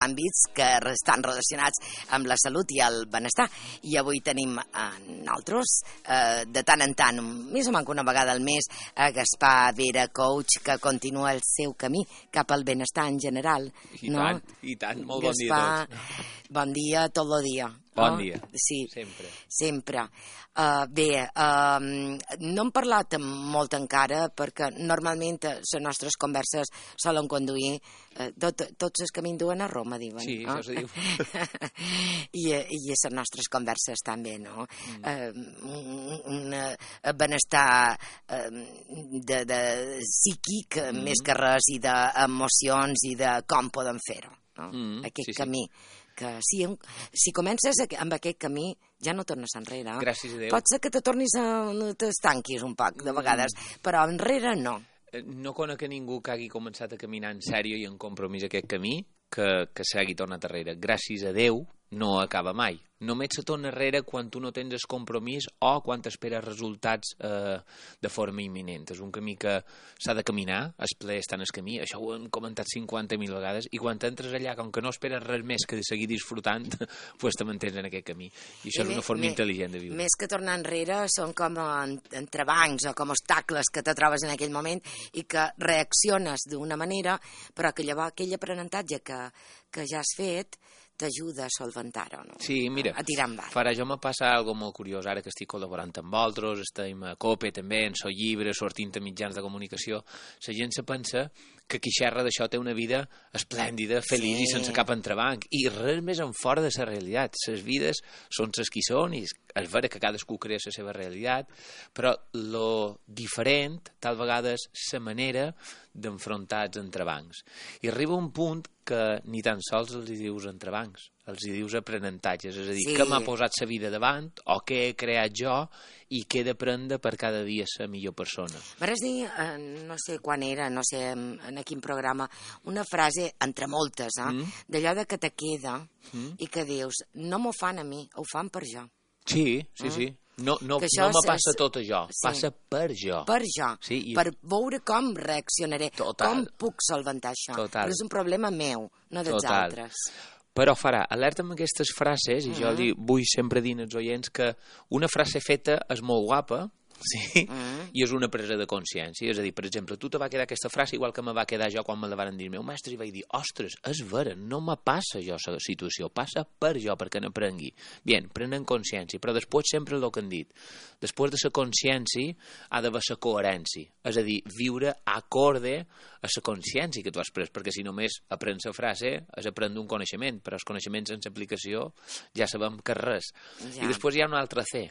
àmbits que estan relacionats amb la salut i el benestar. I avui tenim nosaltres, de tant en tant, més o menys una vegada al mes, a Gaspar Vera, coach, que continua el seu camí cap al benestar en general. I tant, molt bon dia a tots. Bon dia tot el dia. Bon dia, sí, sempre. Bé, no hem parlat molt encara perquè normalment les nostres converses solen conduir, tots els camins duen a Roma, diuen. Sí, això se diu. I les nostres converses també, no? Un benestar psíquic més que res, i d'emocions i de com podem fer-ho, no? Aquest camí. Que si comences amb aquest camí ja no tornes enrere. Gràcies a Déu. Pot ser que t'estanquis un poc de vegades, però enrere no. No conec a ningú que hagi començat a caminar en sèrio i en compromís aquest camí que s'hagi tornat enrere. Gràcies a Déu no acaba mai. Només se torna enrere quan tu no tens el compromís o quan t'esperes resultats de forma imminent. És un camí que s'ha de caminar, el ple està en el camí, això ho hem comentat 50.000 vegades, i quan entres allà, com que no esperes res més que de seguir disfrutant, pues te mantens en aquest camí. I això és una forma intel·ligent de viure. Més que tornar enrere són com entrebancs o com obstacles que te trobes en aquell moment i que reacciones d'una manera, però que llavors aquell aprenentatge que ja has fet t'ajuda a solventar-ho, no? Sí, mira, a tirar endavant. Farà, jo me passa algo molt curiós ara que estic col·laborant amb vosaltres, estem a COPE també, en So Llibre, sortint a mitjans de comunicació. La gent se pensa que qui xerra d'això té una vida esplèndida, feliç i sense cap entrebanc, i res més en fora de la realitat. Les vides són les que són, i és vera que cadascú crea la seva realitat, però lo diferent tal vegada és la manera d'enfrontar els entrebancs. I arriba un punt que ni tan sols els dius entrebancs, els dius aprenentatges, és a dir, què m'ha posat la vida davant, o què he creat jo, i què he d'aprendre per cada dia ser millor persona. Vas dir, no sé quan era, no sé en quin programa, una frase, entre moltes, d'allò de que te queda i que dius, no m'ho fan a mi, ho fan per jo. Sí. No me passa tot això, passa per jo. Per jo, per veure com reaccionaré, com puc solventar això. Però és un problema meu, no dels altres. Però farà, alerta amb aquestes frases, i jo vull sempre dir als oients que una frase feta és molt guapa, sí, i és una presa de consciència. És a dir, per exemple, tu te va quedar aquesta frase igual que me va quedar jo quan me la van dir el meu mestre, i vaig dir, ostres, és vera, no me passa jo la situació, passa per jo, perquè n'aprengui. Bien, prenen consciència, però després sempre el que han dit, després de la consciència ha d'haver la coherència, és a dir, viure acorde a la consciència que tu has pres, perquè si només aprens la frase és aprendre un coneixement, però els coneixements sense aplicació ja sabem que res. I després hi ha un altre C,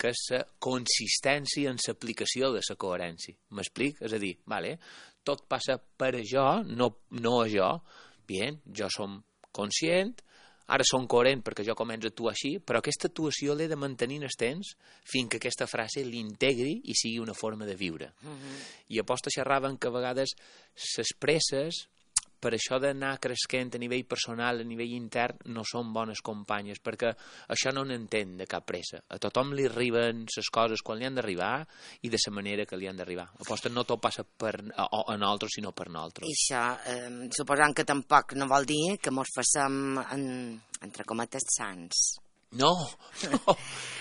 que és la consistència en l'aplicació de la coherència. M'explic? És a dir, tot passa per a jo, no a jo. Bien, jo som conscient, ara som coherent perquè jo començo a actuar així, però aquesta actuació l'he de mantenir en el temps fins que aquesta frase l'integri i sigui una forma de viure. I aposta xerraven que a vegades les presses, per això d'anar cresquent a nivell personal, a nivell intern, no són bones companyes, perquè això no n'entén de cap pressa. A tothom li arriben les coses quan li han d'arribar i de la manera que li han d'arribar. Aposta, no tot passa a nosaltres, sinó per nosaltres. I això, suposant que tampoc no vol dir que mos facem, entre cometes, sants. No.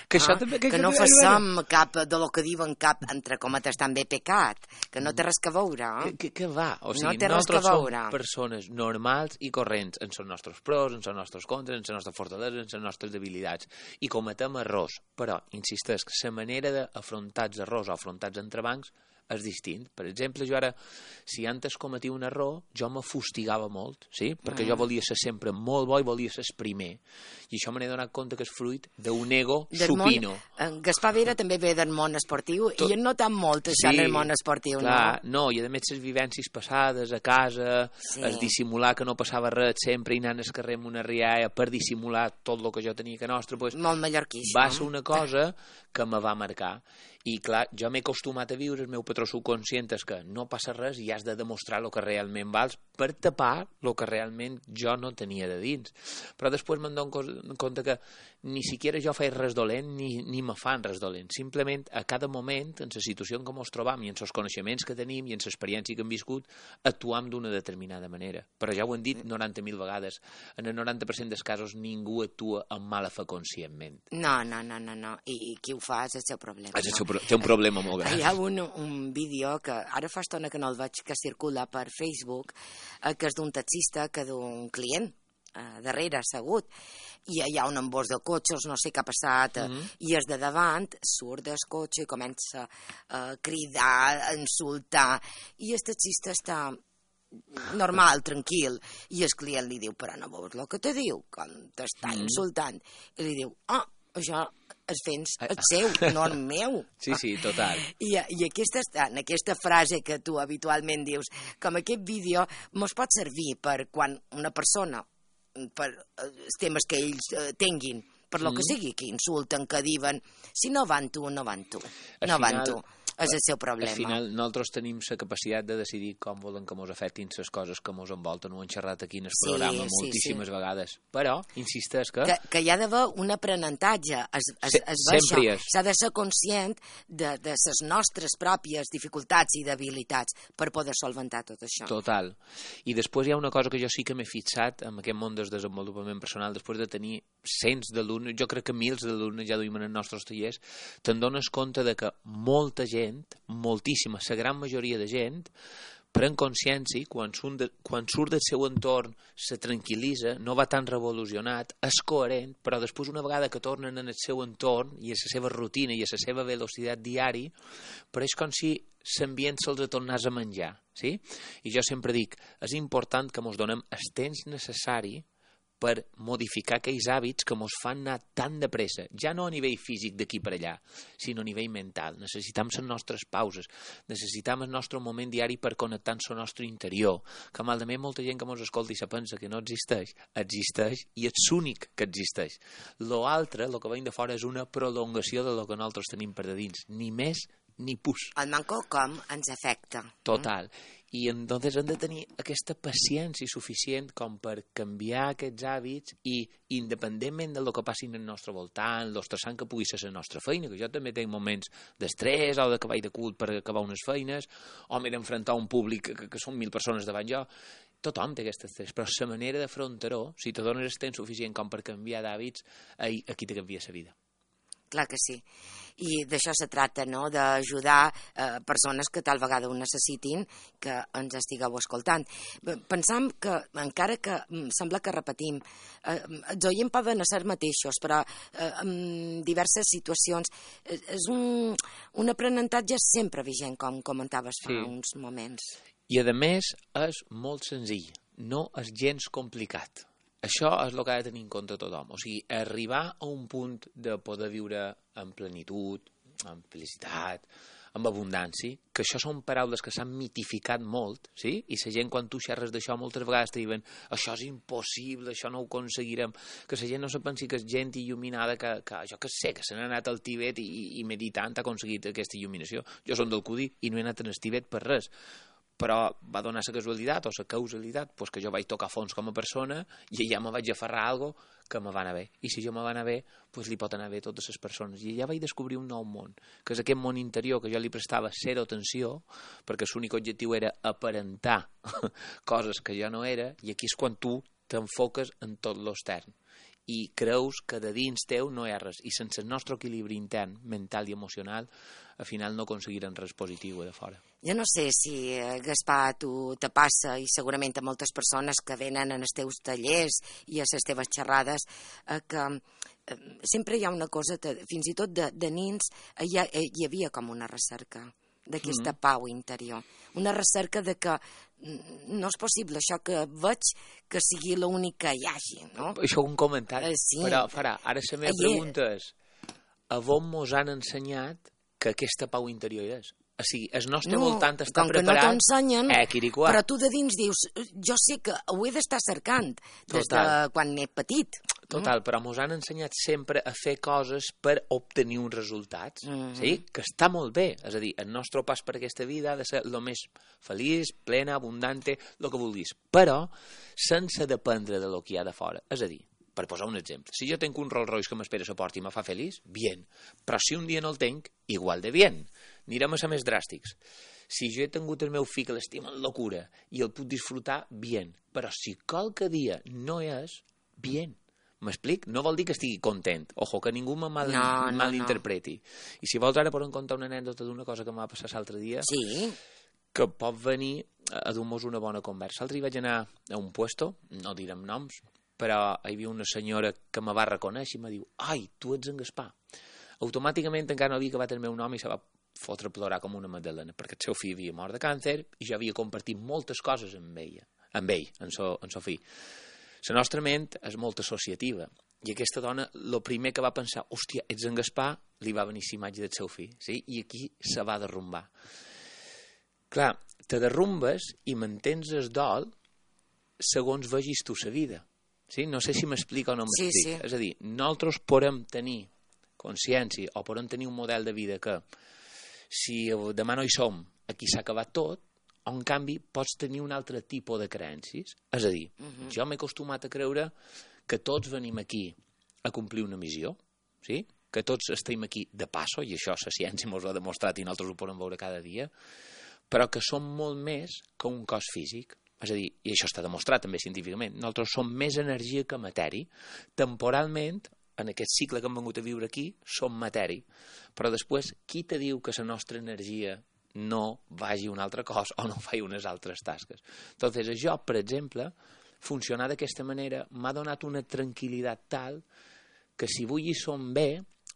Que no facem cap de lo que diuen cap, entre cometes, també pecat, que no té res que veure. Que va? O sigui, nosaltres som persones normals i corrents en els nostres pros, en els nostres contres, en les nostres fortaleses, en les nostres debilitats, i cometem errors, però, insistesc, la manera d'afrontar els errors o afrontar els entrebancs és distint. Per exemple, jo ara, si antes cometia un error, jo me fustigava molt, sí? Perquè jo volia ser sempre molt bo i volia ser el primer. I això me n'he donat compte que és fruit d'un ego supino. Gaspar Vera també ve del món esportiu, i no tan molt això en el món esportiu, no? I a més les vivències passades a casa, es dissimular que no passava res sempre i anant al carrer amb una rialla per dissimular tot el que jo tenia que nostre, molt mallorquí, va ser una cosa que me va marcar. I clar, jo m'he acostumat a viure, el meu patró subconscient és que no passa res i has de demostrar el que realment vals per tapar el que realment jo no tenia de dins. Però després me'n dono compte que ni siquiera jo faig res dolent ni me fan res dolent. Simplement a cada moment, en la situació en què ens trobam i en els coneixements que tenim i en l'experiència que hem viscut, actuam d'una determinada manera. Però ja ho hem dit 90.000 vegades, en el 90% dels casos ningú actua amb mala fe conscientment. No. I qui ho fa és el seu problema. Té un problema molt gran. Hi ha un vídeo que ara fa estona que no el veig, que circula per Facebook, que és d'un taxista que d'un client darrere assegut, i hi ha un embós de cotxes, no sé què ha passat, i és de davant, surt del cotxe i comença a cridar, a insultar, i el taxista està normal, tranquil, i el client li diu, però no veus el que te diu, quan t'està insultant, i li diu, això és fent el seu, no el meu. Sí, total. I en aquesta frase que tu habitualment dius, com aquest vídeo mos pot servir per quan una persona, per els temes que ells tinguin, per lo que sigui, que insulten, que diuen, si no van tu, no van tu. És el seu problema. Al final, nosaltres tenim la capacitat de decidir com volen que ens afectin les coses que ens envolten. Ho hem xerrat aquí en el programa moltíssimes vegades. Però, insisteix que... Que hi ha d'haver un aprenentatge. Sempre és. S'ha de ser conscient de les nostres pròpies dificultats i debilitats per poder solventar tot això. Total. I després hi ha una cosa que jo sí que m'he fixat en aquest món del desenvolupament personal, després de tenir cents d'alumnes, jo crec que mils d'alumnes ja duim en els nostres tallers, te'n dones compte de que molta gent, moltíssima, la gran majoria de gent, pren consciència, quan surt del seu entorn, se tranquil·litza, no va tan revolucionat, és coherent, però després una vegada que tornen en el seu entorn i a la seva rutina i a la seva velocitat diari, però és com si l'ambient se'ls tornés a menjar. Sí? I jo sempre dic, és important que ens donem el temps necessari per modificar aquells hàbits que ens fan anar tan de pressa, ja no a nivell físic d'aquí per allà, sinó a nivell mental. Necessitam les nostres pauses, necessitam el nostre moment diari per connectar amb el nostre interior, que malament molta gent que ens escolta i se pensa que no existeix i és l'únic que existeix. L'altre, el que venim de fora, és una prolongació de lo que nosaltres tenim per de dins, ni més ni pus. El manco com ens afecta. Total. I entonces hem de tenir aquesta paciència suficient com per canviar aquests hàbits i independentment del que passi al nostre voltant, l'estressant que pugui ser la nostra feina, que jo també tinc moments d'estrès o de que vaig de cul per acabar unes feines, o m'he d'enfrontar a un públic que són 1.000 persones davant jo. Tothom té aquest estrès, però la manera d'afrontar-ho, si te dones el temps suficient com per canviar d'hàbits, aquí te canvia la vida. Clar que sí. I d'això se tracta, no?, d'ajudar persones que tal vegada ho necessitin, que ens estigueu escoltant. Pensam que, encara que sembla que repetim, els oients poden ser mateixos, però en diverses situacions és un aprenentatge sempre vigent, com comentaves fa uns moments. I a més és molt senzill, no és gens complicat. Això és el que ha de tenir en compte tothom. O sigui, arribar a un punt de poder viure en plenitud, en felicitat, amb abundància, que això són paraules que s'han mitificat molt, sí? I la gent, quan tu xerres d'això, moltes vegades te diuen això és impossible, això no ho aconseguirem, que la gent no se pensi que és gent il·luminada, que jo que sé, que se n'ha anat al Tibet i meditant ha aconseguit aquesta il·luminació. Jo som del Cudi i no he anat al Tibet per res. Però va donar la casualitat o la causalitat que jo vaig tocar fons com a persona i allà me vaig aferrar a alguna que me va anar bé. I si jo me va anar bé, li pot anar bé a totes les persones. I allà vaig descobrir un nou món, que és aquest món interior que jo li prestava zero atenció, perquè l'únic objectiu era aparentar coses que jo no era, i aquí és quan tu t'enfoques en tot l'extern. I creus que de dins teu no hi ha res. I sense el nostre equilibri intern, mental i emocional, al final no aconseguirem res positiu de fora. Jo no sé si, Gaspar, tu te passa, i segurament a moltes persones que venen en els teus tallers i a les teves xerrades, que sempre hi ha una cosa, fins i tot de nins, hi havia com una recerca d'aquesta pau interior. Una recerca de que no és possible això que veig que sigui l'únic que hi hagi, no? Això ho hem comentat, sí. Però ara la meva pregunta és, a on mos han ensenyat que aquesta pau interior és? O sigui, el nostre voltant està com que preparat... no t'ensenyen, Quiricua. però tu de dins dius, jo sé que ho he d'estar cercant des de quan he petit. Total, però mos han ensenyat sempre a fer coses per obtenir uns resultats, sí? Que està molt bé. És a dir, el nostre pas per aquesta vida ha de ser el més feliç, plena, abundante, el que vulguis. Però sense dependre de lo que hi ha de fora. És a dir, per posar un exemple, si jo tenc un Rolls Royce que m'espera a la porta i me fa feliç, bien. Però si un dia no el tenc, igual de bien. Anirem a ser més dràstics. Si jo he tingut el meu fill que l'estima en locura i el puc disfrutar, bien. Però si qualque dia no és, bien. M'explic? No vol dir que estigui content. Ojo, que ningú me malinterpreti. I si vols ara podem contar una anècdota d'una cosa que em va passar l'altre dia, que pot venir a dur-nos una bona conversa. L'altre dia vaig anar a un puesto, no direm noms, però hi havia una senyora que me va reconèixer i me diu, ai, tu ets en Gaspar. Automàticament encara no havia acabat el meu nom i se va fotre a plorar com una magdalena, perquè el seu fill havia mort de càncer i jo havia compartit moltes coses amb ell, en so fill. La nostra ment és molt associativa i aquesta dona, el primer que va pensar, hòstia, ets en Gaspar, li va venir la imatge del seu fill, sí? I aquí se va derrumbar. Clar, te derrumbes i mantens el dol segons vegis tu la vida. Sí? No sé si m'explica o no m'explica. Sí. És a dir, nosaltres podem tenir consciència o podem tenir un model de vida que si demà no hi som, aquí s'ha acabat tot, o en canvi pots tenir un altre tipus de creences. És a dir, jo m'he acostumat a creure que tots venim aquí a complir una missió, sí? Que tots estem aquí de passo, i això la ciència ens ho ha demostrat i nosaltres ho podem veure cada dia, però que som molt més que un cos físic. És a dir, i això està demostrat també científicament, nosaltres som més energia que matèria. Temporalment, en aquest cicle que hem vengut a viure aquí, som matèria. Però després, qui te diu que la nostra energia no vagi a un altre cos o no faci unes altres tasques? Entonces, jo, per exemple, funcionar d'aquesta manera m'ha donat una tranquil·litat tal que si avui hi som bé,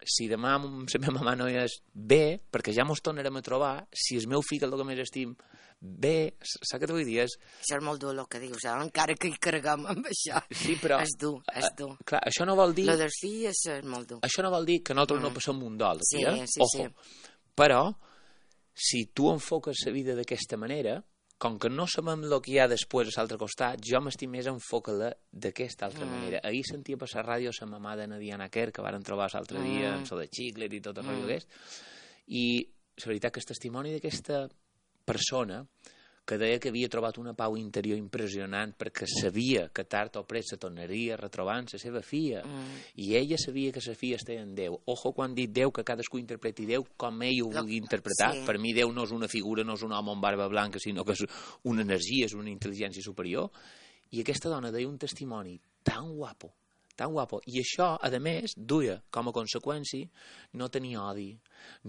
si demà la meva mama no és bé, perquè ja mos tornarem a trobar, si el meu fill, el que més estim, bé, saps què t'ho vull dir? Això és molt dur el que dius, encara que hi carreguem amb això. Sí, però... És dur. Clar, això no vol dir... Lo dels fills és molt dur. Això no vol dir que nosaltres no passem un dol. Sí. Ojo. Però, si tu enfoques la vida d'aquesta manera, com que no sabem el que hi ha després a l'altre costat, jo m'estic més a enfocar-la d'aquesta altra manera. Ahir sentia per la ràdio la mamà de Diana Kerr, que varen trobar l'altre dia, amb so de Xicler i tot el rotllo aquest, i la veritat que el testimoni d'aquesta persona que deia que havia trobat una pau interior impressionant perquè sabia que tard o pres se tornaria a retrobar amb la seva filla i ella sabia que la filla estava en Déu. Ojo quan dic Déu, que cadascú interpreti Déu com ell ho vulgui interpretar. Per mi Déu no és una figura, no és un home amb barba blanca, sinó que és una energia, és una intel·ligència superior. I aquesta dona deia un testimoni tan guapo, i això, a més, duia com a conseqüència no tenir odi,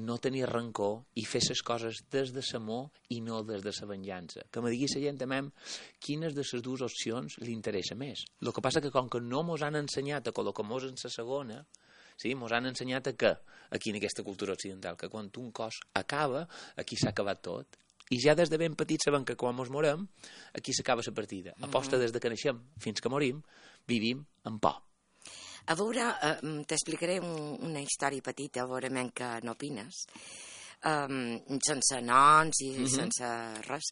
no tenir rancor i fer les coses des de l'amor i no des de la venjança. Que me digui la gent també quines de les dues opcions li interessa més. El que passa que com que no mos han ensenyat a col·locar-nos en la segona, sí, mos han ensenyat que, aquí en aquesta cultura occidental, que quan un cos acaba, aquí s'ha acabat tot. I ja des de ben petits sabem que quan mos morem, aquí s'acaba la partida. Aposta des de que naixem fins que morim, vivim en por. A veure, t'explicaré una història petita, a veure que n'opines, sense noms i sense res.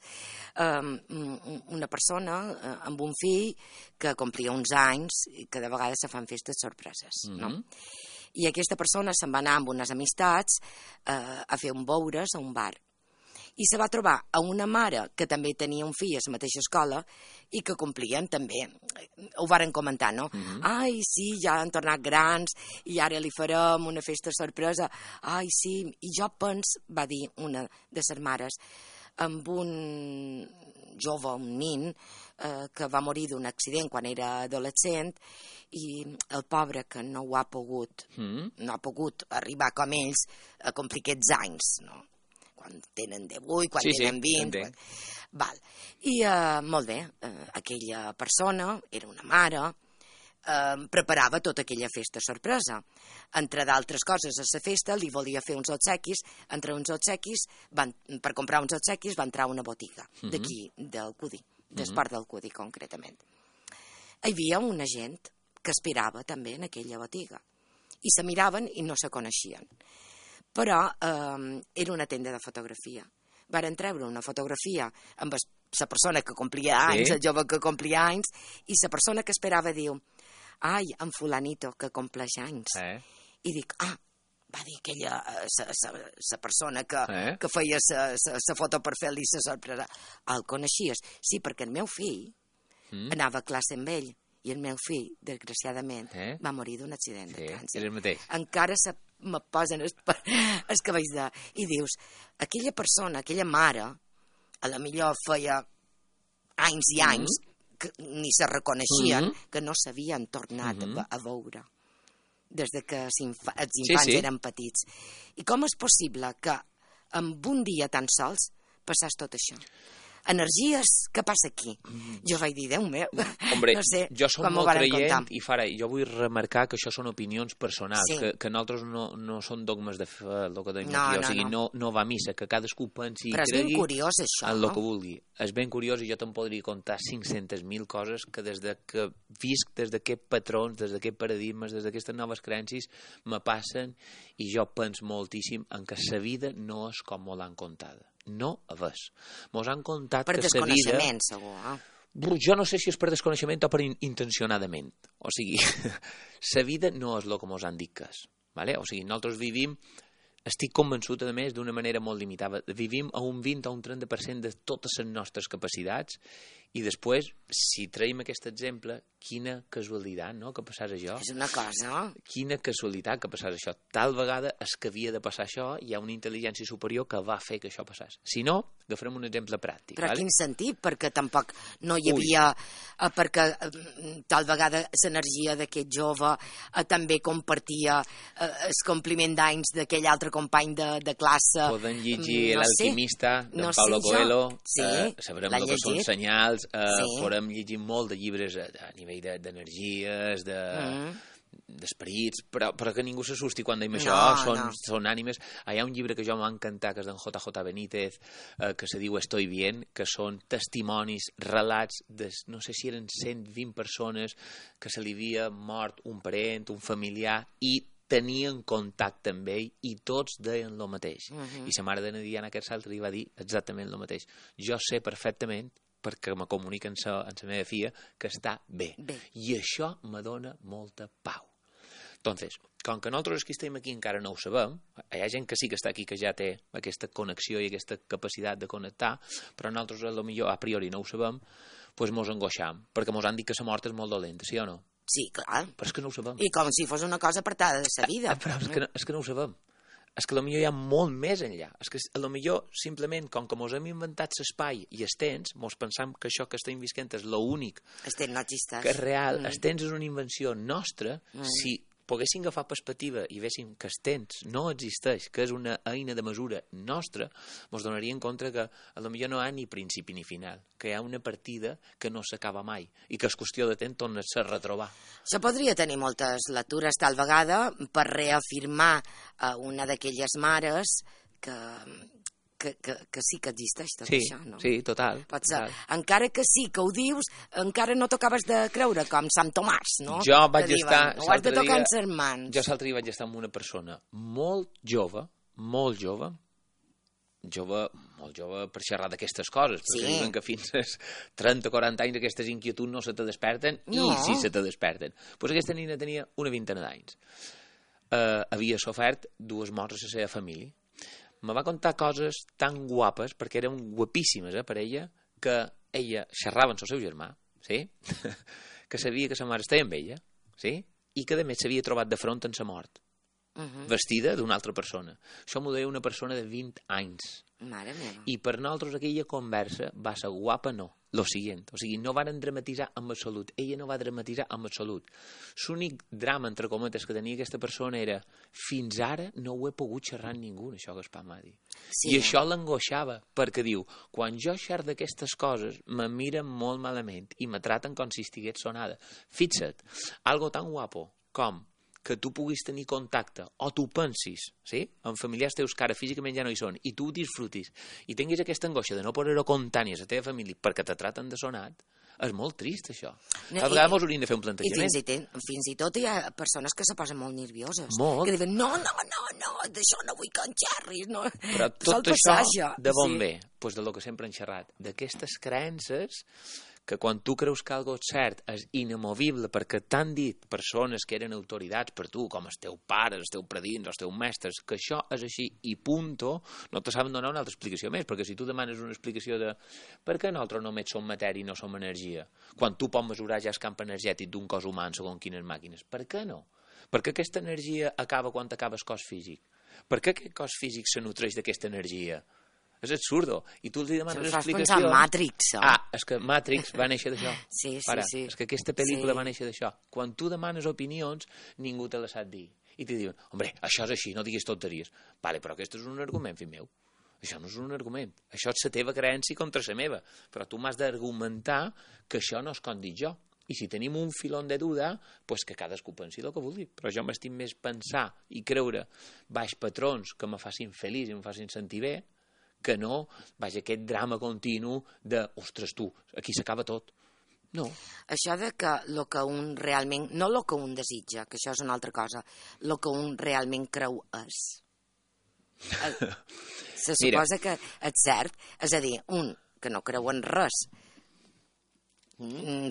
Una persona amb un fill que complia uns anys i que de vegades se fan festes sorpreses, no? I aquesta persona se'n va anar amb unes amistats a fer un beures a un bar. I se va trobar a una mare que també tenia un fill a la mateixa escola i que complien també. Ho varen comentar, no? Ai, sí, ja han tornat grans i ara li farem una festa sorpresa. Ai, sí, i jo penso, va dir una de les mares, amb un jove, un nin, que va morir d'un accident quan era adolescent i el pobre que no ha pogut arribar com ells a complir aquests anys, no? Quan tenen 18, quan tenen 20... Val. I molt bé, aquella persona, era una mare, preparava tota aquella festa sorpresa. Entre d'altres coses, a la festa li volia fer uns obsequis, entre uns obsequis, per comprar uns obsequis va entrar a una botiga d'aquí, del Cudi, d'Esport del Cudi, concretament. Hi havia una gent que esperava també en aquella botiga i se miraven i no se coneixien. però era una tenda de fotografia. Varen treure una fotografia amb la persona que complia anys, el jove que complia anys, i la persona que esperava diu, ai, en fulanito, que compleix anys. I dic, va dir aquella, la persona que feia la foto per fer-li la sorpresa. El coneixies? Sí, perquè el meu fill anava a classe amb ell, i el meu fill, desgraciadament, va morir d'un accident de trànsit. Encara me posen els cabells de... I dius, aquella persona, aquella mare, a la millor feia anys i anys, que ni se reconeixien, que no s'havien tornat a veure des que els infants eren petits. I com és possible que en un dia tan sols passàs tot això? Energies, què passa aquí? Jo vaig dir, Déu meu, hombre, no sé jo soc com m'ho molt varen creient contar. i jo vull remarcar que això són opinions personals, que nosaltres no són dogmes de fe, el que tenim aquí, o sigui, no va a missa, que cadascú pensi i però cregui és ben curiós, això, en el que vulgui. És ben curiós i jo te'n podria contar 500.000 coses que des de que visc, des d'aquests patrons, des d'aquests paradigmes, des d'aquestes noves creences, me passen i jo penso moltíssim en que la vida no és com me l'han contada. No a ves. Mos han contat per que la vida... Per desconeixement, segur. Jo no sé si és per desconeixement o per intencionadament. O sigui, la vida no és el que mos han dit que és. Vale? O sigui, nosaltres vivim, estic convençut, a més, d'una manera molt limitada. Vivim a un 20 o un 30% de totes les nostres capacitats i després, si traiem aquest exemple, quina casualitat, no?, que passàs això. És una cosa. Quina casualitat que passàs això. Tal vegada és que havia de passar això, hi ha una intel·ligència superior que va fer que això passàs. Si no, agafarem un exemple pràctic. Però quin sentit? Perquè tampoc no hi havia... Perquè tal vegada l'energia d'aquest jove també compartia el compliment d'anys d'aquell altre company de classe. Poden llegir L'alquimista, d'en Paulo Coelho, sabrem el que són senyals, podem llegir molt de llibres a nivell d'energies, d'esperits, però que ningú s'assusti quan dèiem això, són ànimes. Hi ha un llibre que jo m'ha encantat, que és d'en J.J. Benítez, que se diu Estoy bien, que són testimonis, relats de, no sé si eren 120 persones que se li havia mort un parent, un familiar, i tenien contacte amb ell i tots deien el mateix. I sa mare de Diana Quersal li va dir exactament el mateix. Jo sé perfectament, perquè me comunica amb la meva filla, que està bé. I això me dona molta pau. Entonces, com que nosaltres que estem aquí encara no ho sabem, hi ha gent que sí que està aquí que ja té aquesta connexió i aquesta capacitat de connectar, però nosaltres a priori no ho sabem, doncs mos angoixam, perquè mos han dit que la mort és molt dolenta, sí o no? Sí, clar. Però és que no ho sabem. I com si fos una cosa apartada de la vida. Però és que no ho sabem. És que potser hi ha molt més enllà. És que potser simplement, com que mos hem inventat l'espai i els temps, mos pensam que això que estem visquent és l'únic que és real. El temps és una invenció nostra. Si poguéssim agafar perspectiva i véssim que el temps no existeix, que és una eina de mesura nostra, ens donaríem compte que potser no hi ha ni principi ni final, que hi ha una partida que no s'acaba mai i que és qüestió de temps tornar-se a retrobar. Això podria tenir moltes lectures tal vegada per reafirmar una d'aquelles mares que sí que existeix tot això, no? Sí, total. Pot ser. Encara que sí que ho dius, encara no t'acabes de creure, com Sant Tomàs, no? Jo vaig estar... Ho has de tocar en ses mans. Jo l'altre dia vaig estar amb una persona molt jove per xerrar d'aquestes coses, perquè diuen que fins als 30 o 40 anys aquestes inquietuds no se te desperten, i sí se te desperten. Doncs aquesta nina tenia una vintena d'anys. Havia sofert 2 morts a la seva família. Me va contar coses tan guapes, perquè eren guapíssimes per ella, que ella xerrava amb el seu germà, sí? Que sabia que sa mare estava amb ella, sí? I que a més s'havia trobat de front en sa mort, vestida d'una altra persona. Això m'ho deia una persona de 20 anys. Mare meva. I per nosaltres aquella conversa va ser guapa, no. Lo siguiente, o sigui, no varen dramatitzar amb absolut. Ella no va dramatitzar amb absolut. L'únic drama, entre cometes, que tenia aquesta persona era fins ara no ho he pogut xerrar amb ningú, això que el pa m'ha dit. Sí. I això l'angoixava, perquè diu, quan jo xerro d'aquestes coses, me miren molt malament i me traten com si estigués sonada. Fixa't, algo tan guapo com que tu puguis tenir contacte, o tu pensis, sí? Amb familiars teus que ara físicament ja no hi són, i tu ho disfrutis, i tinguis aquesta angoixa de no poder-ho contar ni a la teva família perquè te traten de sonat, És molt trist, això. Cada vegada mos hauríem de fer un plantejament. I fins i tot hi ha persones que se posen molt nervioses. Molt. Que diuen, no, d'això no vull que en xerris. No. Però tot això de bon ve? Doncs de lo que sempre hem xerrat. D'aquestes creences que quan tu creus que algo és cert és inamovible perquè t'han dit persones que eren autoritats per tu, com el teu pare, els teus predins, els teus mestres, que això és així i punto, no te saben donar una altra explicació més, perquè si tu demanes una explicació de per què nosaltres només som matèria i no som energia, quan tu pots mesurar ja el camp energètic d'un cos humà segons quines màquines, per què no? Per què aquesta energia acaba quan acaba el cos físic? Per què aquest cos físic se nutreix d'aquesta energia? És absurdo. I tu els demanes explicació... Pensar en Matrix, és que Matrix va néixer d'això. Sí. És que aquesta pel·lícula va néixer d'això. Quan tu demanes opinions, ningú te les sap dir. I te diuen, hombre, això és així, no diguis tonteries. Vale, però aquest és un argument, fill meu. Això no és un argument. Això és la teva creença contra la meva. Però tu m'has d'argumentar que això no és com dic jo. I si tenim un filón de duda, pues que cadascú pensi el que vulgui. Però jo m'estic més pensar i creure baix patrons que me facin feliç i me facin sentir bé, que no, vaja, aquest drama continu de, ostres, tu, aquí s'acaba tot. No. Això de que lo que un realment, no lo que un desitja, que això és una altra cosa, lo que un realment creu és. Se suposa que és cert, és a dir, un que no creu en res,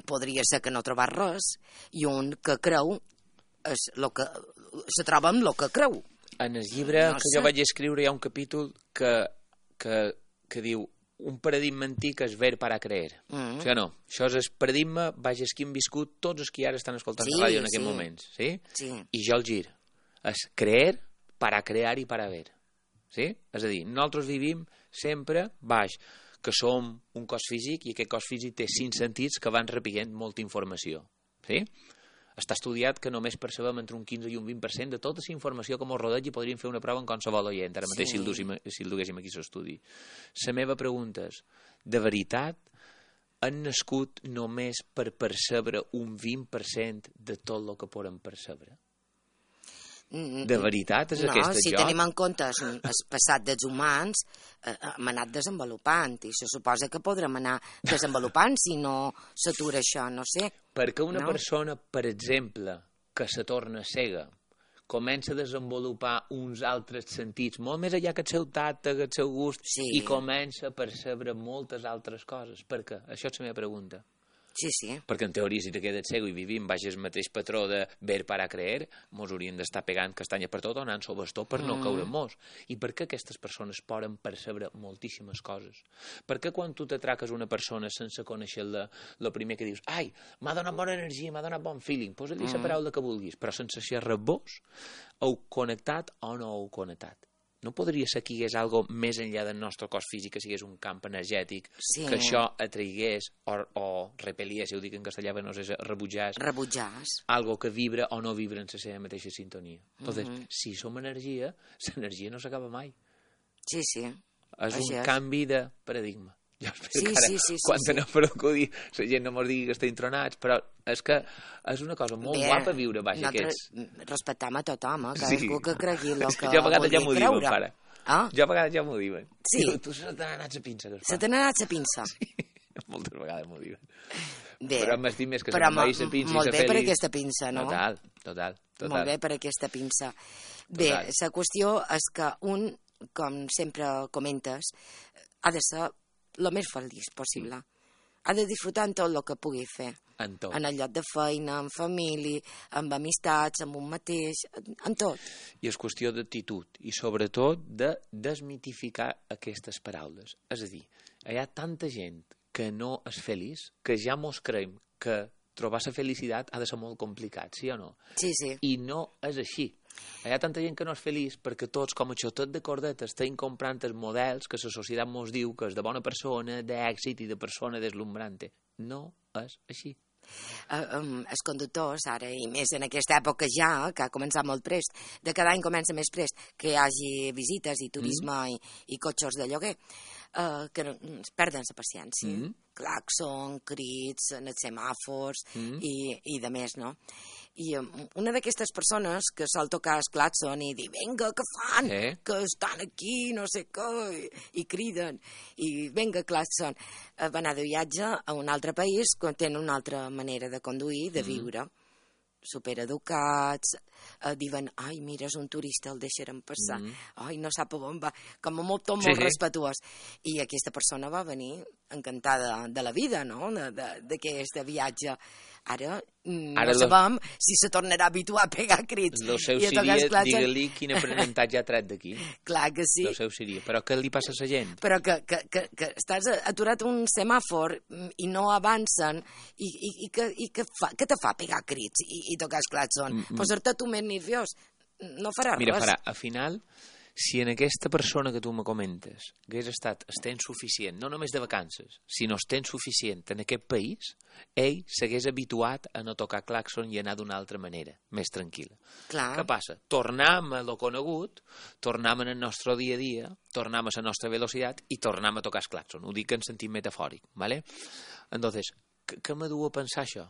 podria ser que no trobar res, i un que creu és lo que se troba amb lo que creu. En el llibre que jo vaig escriure hi ha un capítol que diu un paradigma antic és ver para creer. O sigui, no, això és el paradigma, vaja, que hem viscut tots els que ara estan escoltant la ràdio en aquests moments. Sí? I jo el gir. És creer para crear i para ver. Sí? És a dir, nosaltres vivim sempre baix, que som un cos físic i aquest cos físic té 5 sentits que van repient molta informació. Sí? Està estudiat que només percebem entre un 15 i un 20% de tota la informació que ens rodeja i podríem fer una prova en qualsevol oient, ara mateix si el duguéssim aquí l'estudi. La meva pregunta és, de veritat, han nascut només per percebre un 20% de tot el que podem percebre? De veritat és aquesta si tenim en compte el passat dels humans, hem anat desenvolupant i se suposa que podrem anar desenvolupant si no s'atura això, no sé. Perquè una persona, per exemple, que se torna cega, comença a desenvolupar uns altres sentits, molt més allà que el seu tacte, que el seu gust, i comença a percebre moltes altres coses. Per què? Això és la meva pregunta. Sí. Perquè en teoria si te quedes cego i vivim baix el mateix patró de ver para creer, mos haurien d'estar pegant castanya per tot o anant sobre bastó per no caure en mos. I per què aquestes persones poden percebre moltíssimes coses? Per què quan tu t'atraques una persona sense conèixer-la, el primer que dius, ai, m'ha donat bona energia, m'ha donat bon feeling, posa-li la paraula que vulguis, però sense xerrar vos, heu connectat o no heu connectat? No podria ser que hi hagués algo més enllà del nostre cos físic, que sigués un camp energètic, que això atraigués o repel·liés, si ho dic en castellà, no sé, rebutjàs, algo que vibra o no vibra en la seva mateixa sintonia. Entonces, si som energia, l'energia no s'acaba mai. Sí. És un canvi de paradigma. Jo espero que ara, quan anem per acudir, la gent no mos digui que estem tronats, però és que és una cosa molt guapa viure baix aquests. Respectem a tothom, cadascú que cregui el que jo a vegades ja m'ho diuen, pare. Ah? Jo a vegades ja m'ho diuen. Sí. Tu se t'ha anat la pinça. Se t'ha anat la pinça. Sí, moltes vegades m'ho diuen. Bé, però m'estim més que se m'envaï la pinça i molt bé per aquesta pinça, no? Total. Molt bé per aquesta pinça. Bé, la qüestió és que un, com sempre comentes, ha de ser el més feliç possible. Ha de disfrutar en tot el que pugui fer. En tot. En el lloc de feina, en família, amb amistats, amb un mateix, en tot. I és qüestió d'actitud i sobretot de desmitificar aquestes paraules. És a dir, hi ha tanta gent que no és feliç que ja mos creiem que trobar la felicitat ha de ser molt complicat, sí o no? Sí. I no és així. Hi ha tanta gent que no és feliç perquè tots, com a xotet de cordeta, estem comprant els models que la societat mos diu que és de bona persona, d'èxit i de persona deslumbrante. No és així. Els conductors, ara, i més en aquesta època ja, que ha començat molt prest, de cada any comença més prest, que hi hagi visites i turisme i cotxes de lloguer, que perden la paciència. Claxon, crits, en els semàfors i de més, no? I una d'aquestes persones que sol tocar el claxon i dir, vinga, què fan? Que estan aquí, no sé què, i criden, i vinga, claxon. Va anar de viatge a un altre país que tenen una altra manera de conduir, de viure. Supereducats, diuen, ai, mira, és un turista, el deixarem passar, ai, no sap on va, com a molt respetuós. I aquesta persona va venir encantada de la vida, no?, d'aquest viatge. Ara no sabem si se tornarà a habituar a pegar crits. El seu seria, digue-li quin aprenentatge ha tret d'aquí. Clar que sí. El seu seria. Però què li passa a la gent? Però que estàs aturat un semàfor i no avancen i què te fa pegar crits i tocar el claxon? Posar-te tu més nerviós. No farà res. Mira, al final, si en aquesta persona que tu me comentes hagués estat temps suficient, no només de vacances, sinó temps suficient en aquest país, ell s'hagués habituat a no tocar claxon i anar d'una altra manera, més tranquil·la. Clar. Què passa? Tornem a lo conegut, tornem en el nostre dia a dia, tornem a la nostra velocitat i tornem a tocar el claxon. Ho dic en sentit metafòric, ¿vale? Entonces, què me du a pensar això?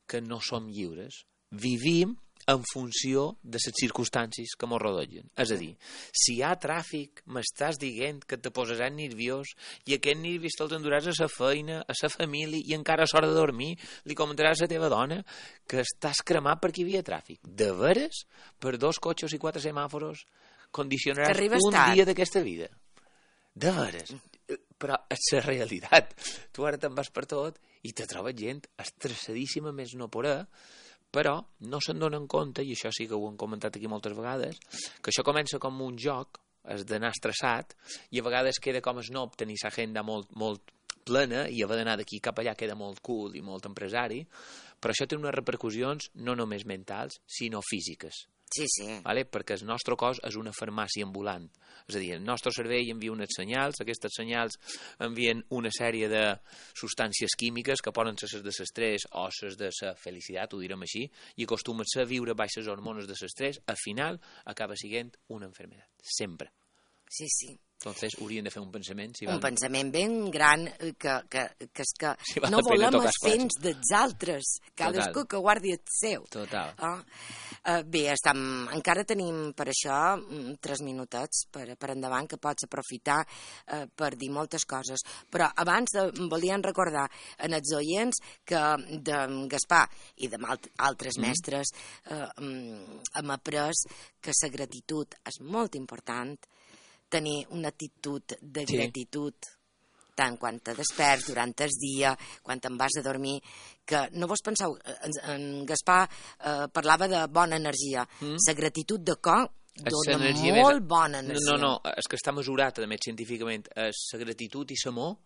Que no som lliures. Vivim en funció de les circumstàncies que ens rodegen. És a dir, si hi ha tràfic, m'estàs dient que te posaràs nerviós i aquest nerviós te'l enduràs a la feina, a la família i encara a l'hora de dormir li comentaràs a la teva dona que estàs cremat perquè hi havia tràfic. De veres, per 2 cotxes i 4 semàforos condicionaràs un dia d'aquesta vida. De veres. Però és la realitat. Tu ara te'n vas per tot i te trobes gent estressadíssima més no poder, però no se'n donen compte, i això sí que ho hem comentat aquí moltes vegades, que això comença com un joc, has d'anar estressat, i a vegades queda com snob tenir l'agenda molt plena i haver d'anar d'aquí cap allà queda molt cool i molt empresari, però això té unes repercussions no només mentals, sinó físiques. Sí, sí. Vale? Perquè el nostre cos és una farmàcia ambulant. És a dir, el nostre cervell envia uns senyals, aquests senyals envien una sèrie de substàncies químiques que poden ser les de l'estrès o les de la felicitat, ho direm així, i acostumen-se a viure baix les hormones de l'estrès, al final acaba sent una malaltia. Sempre. Sí, sí. Entonces haurien de fer un pensament. Un pensament ben gran que és que no volem els fets dels altres. Cadascú que guardi el seu. Total. Bé, encara tenim per això 3 minutets per endavant que pots aprofitar per dir moltes coses. Però abans volíem recordar en els oients que de Gaspar i de altres mestres hem après que la gratitud és molt important, tenir una actitud de gratitud, tant quan te desperts, durant el dia, quan te'n vas a dormir, que no vos penseu, en Gaspar parlava de bona energia. La gratitud de cor dona molt bona energia. No, és que està mesurat, a més, científicament. La gratitud i l'amor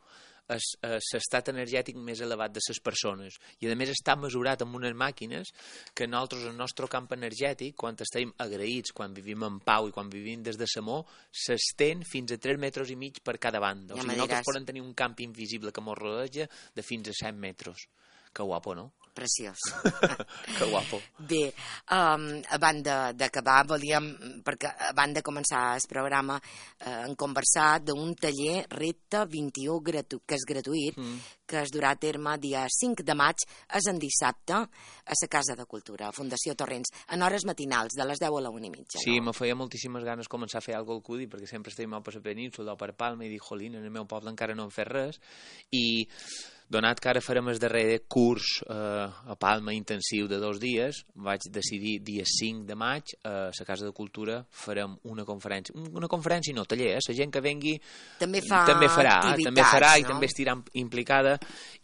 és l'estat energètic més elevat de les persones i a més està mesurat amb unes màquines que nosaltres, el nostre camp energètic, quan estem agraïts, quan vivim en pau i quan vivim des de l'amor, s'estén fins a 3,5 metres per cada banda. O sigui, nosaltres podem tenir un camp invisible que ens rodeja de fins a 100 metres. Que guapo, no? Preciós. Que guapo. Bé, abans d'acabar, volíem, perquè abans de començar el programa, hem conversat d'un taller Repte 21 que és gratuït, que es durà a terme dia 5 de maig, és en dissabte, a la Casa de Cultura, a Fundació Torrents, en hores matinals, de les 10 a la 1:30. Sí, me feia moltíssimes ganes començar a fer alguna cosa al Cudi, perquè sempre estem per la península o per Palma, i dic, jolín, en el meu poble encara no hem fet res, i donat que ara farem el darrer curs a Palma intensiu de 2 dies, vaig decidir dia 5 de maig a la Casa de Cultura farem una conferència no, taller, la gent que vengui també farà i també estirà implicada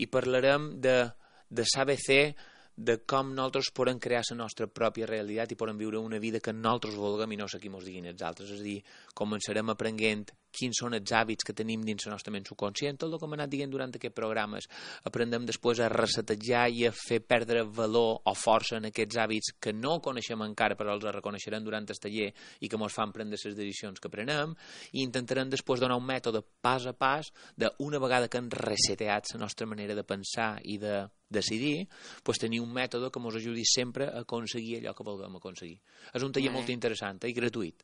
i parlarem de saber fer, de com nosaltres podem crear la nostra pròpia realitat i podem viure una vida que nosaltres vulguem i no sé qui mos diguin els altres. És a dir, començarem aprenent quins són els hàbits que tenim dins la nostra ment subconscient, tot el que hem anat dient durant aquests programes. Aprendem després a resetejar i a fer perdre valor o força en aquests hàbits que no coneixem encara però els reconeixerem durant el taller i que ens fan prendre les decisions que prenem, i intentarem després donar un mètode pas a pas d'una vegada que hem reseteat la nostra manera de pensar i de decidir, doncs tenir un mètode que ens ajudi sempre a aconseguir allò que vulguem aconseguir. És un taller molt interessant i gratuït.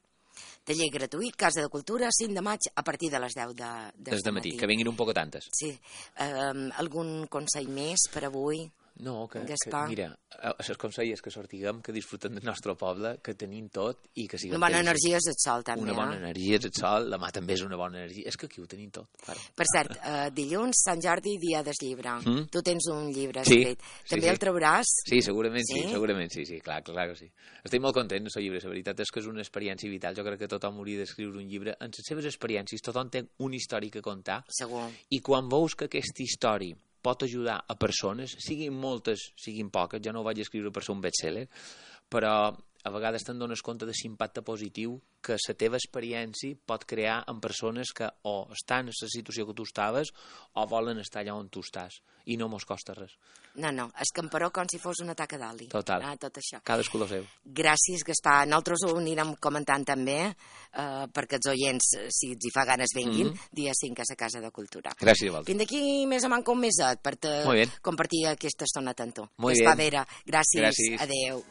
Taller gratuït, Casa de Cultura, 5 de maig, a partir de les 10 de matí. Que vinguin un poc tantes. Sí. Algun consell més per avui? No, que Gaspar. mira, els consells que sortiguem, que disfrutem del nostre poble, que tenim tot i que siguem... Una bona energia és el sol, també. Una bona energia és el sol, la mà també és una bona energia. És que aquí ho tenim tot. Claro. Per cert, dilluns, Sant Jordi, dia del llibre. Tu tens un llibre Sí, escrit. sí, També sí. el trauràs? Sí, segurament sí, Sí? segurament sí, clar que sí. Estic molt content del llibre, la veritat és que és una experiència vital. Jo crec que tothom hauria d'escriure un llibre. En les seves experiències tothom té una història a contar Segur. i quan veus que aquesta història pot ajudar a persones, siguin moltes, siguin poques, jo no ho vaig escriure per ser un best-seller, però a vegades te'n dones compte de l'impacte positiu que la teva experiència pot crear en persones que o estan en la situació que tu estaves o volen estar allà on tu estàs, i no mos costa res. No, és camperó com si fos una taca d'oli. Total. Tot això. Cadascú el seu. Gràcies, Gaspar. Nosaltres ho anirem comentant també, perquè els oients, si els hi fa ganes, venguin, dia 5 a la Casa de Cultura. Gràcies a vosaltres. Fins d'aquí més o manco un meset per Muy bien. compartir aquesta estona amb tu. Muy Gaspar bien. Vera, gràcies. Gràcies. Adéu.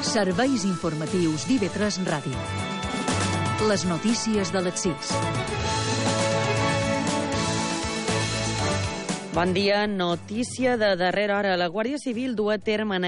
Serveis informatius d'IV3 Ràdio. Les notícies de les 6. Bon dia, notícia de darrera hora. La Guàrdia Civil du a terme en